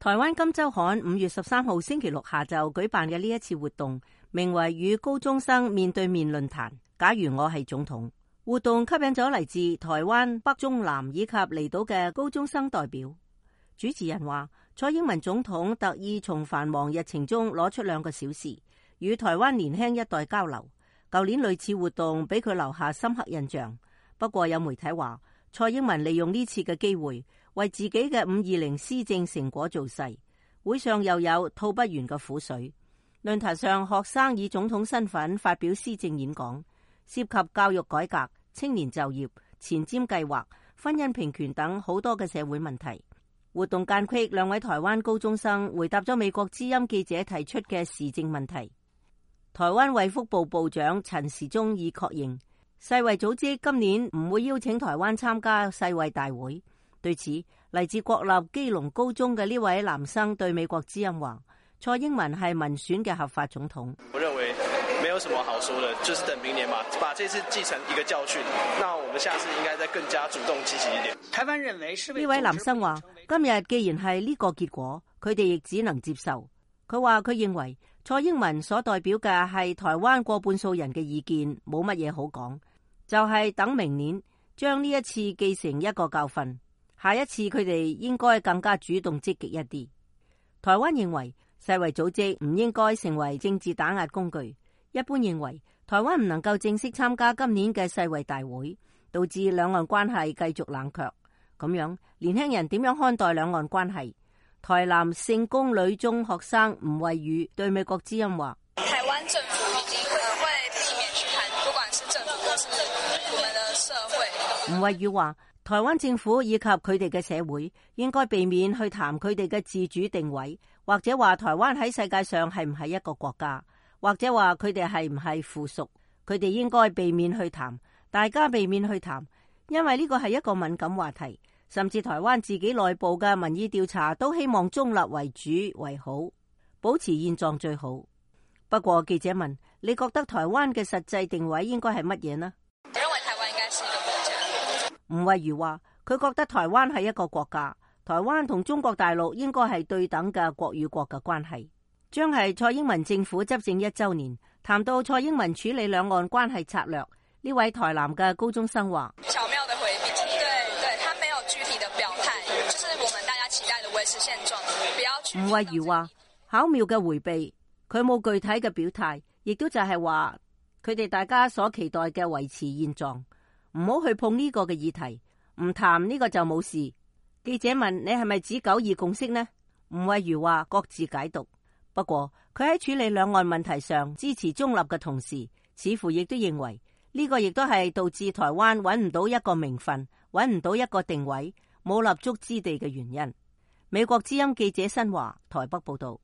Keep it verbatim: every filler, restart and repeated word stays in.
台灣金周刊五月十三號星期六下晝舉辦嘅呢一次活動，名為與高中生面對面論壇。假如我係總統，活動吸引咗嚟自台灣北中南以及離島嘅高中生代表。主持人話，蔡英文總統特意從繁忙日程中攞出兩個小時，與台灣年輕一代交流。舊年類似活動俾佢留下深刻印象。不過有媒體話，蔡英文利用呢次嘅機會，為自己嘅五二零施政成果造勢。會上又有吐不完嘅苦水。論壇上，學生以總統身份發表施政演講，涉及教育改革、青年就業、前瞻計劃、婚姻平權等好多嘅社會問題。活動間隙，兩位台灣高中生回答咗美國之音記者提出嘅時政問題。台灣衛福部部長陳時中已確認，世衛組織今年唔會邀請台灣參加世衛大會。對此，嚟自國立基隆高中嘅呢位男生對美國之音話，蔡英文係民選嘅合法總統。我認為沒有什麼好說的，就是等明年嘛，把這次記成一個教訓。那我們下次應該再更加主動積極一點。台灣認為呢位男生話，今日既然係呢個結果，佢哋亦只能接受。佢話佢認為蔡英文所代表嘅係台灣過半數人嘅意見，冇乜嘢好講，就係等明年將呢一次記成一個教訓，下一次佢哋應該更加主動積極一啲。台灣認為世衛組織唔應該成為政治打壓工具，一般認為台灣唔能夠正式參加今年嘅世衛大會，導致兩岸關係繼續冷卻。咁樣年輕人點樣看待兩岸關係？台南聖公女中學生吳慧宇對美國之音話：台灣政府已經會避免去談，不管是政府或是我們的社會。吳慧宇話：台灣政府以及佢哋嘅社會應該避免去談佢哋嘅自主定位，或者話台灣喺世界上係唔係一個國家，或者話佢哋係唔係附屬。佢哋應該避免去談，大家避免去談，因為呢個係一個敏感話題。甚至台灣自己內部嘅民意調查都希望中立為主為好，保持現狀最好。不過記者問：你覺得台灣嘅實際定位應該係乜嘢呢？我認為台灣應該是一個國家。吳慧如話：佢覺得台灣係一個國家，台灣同中國大陸應該係對等嘅國與國嘅關係。將係蔡英文政府執政一週年，談到蔡英文處理兩岸關係策略，呢位台南嘅高中生話：巧妙的回避，對對，他沒有具體的表態，就是我們大家期待的維持現狀，不要去。吳慧如話：巧妙嘅回避，佢冇具體嘅表態，亦都就係話佢哋大家所期待嘅維持現狀，唔好去碰呢個嘅議題，唔談呢個就冇事。記者問：你係咪指九二共識呢？吳慧如話：各自解讀。不過佢喺處理兩岸問題上支持中立嘅同時，似乎亦都認為呢個亦都係導致台灣揾唔到一個名分，揾唔到一個定位，冇立足之地嘅原因。美國之音記者新華台北報道。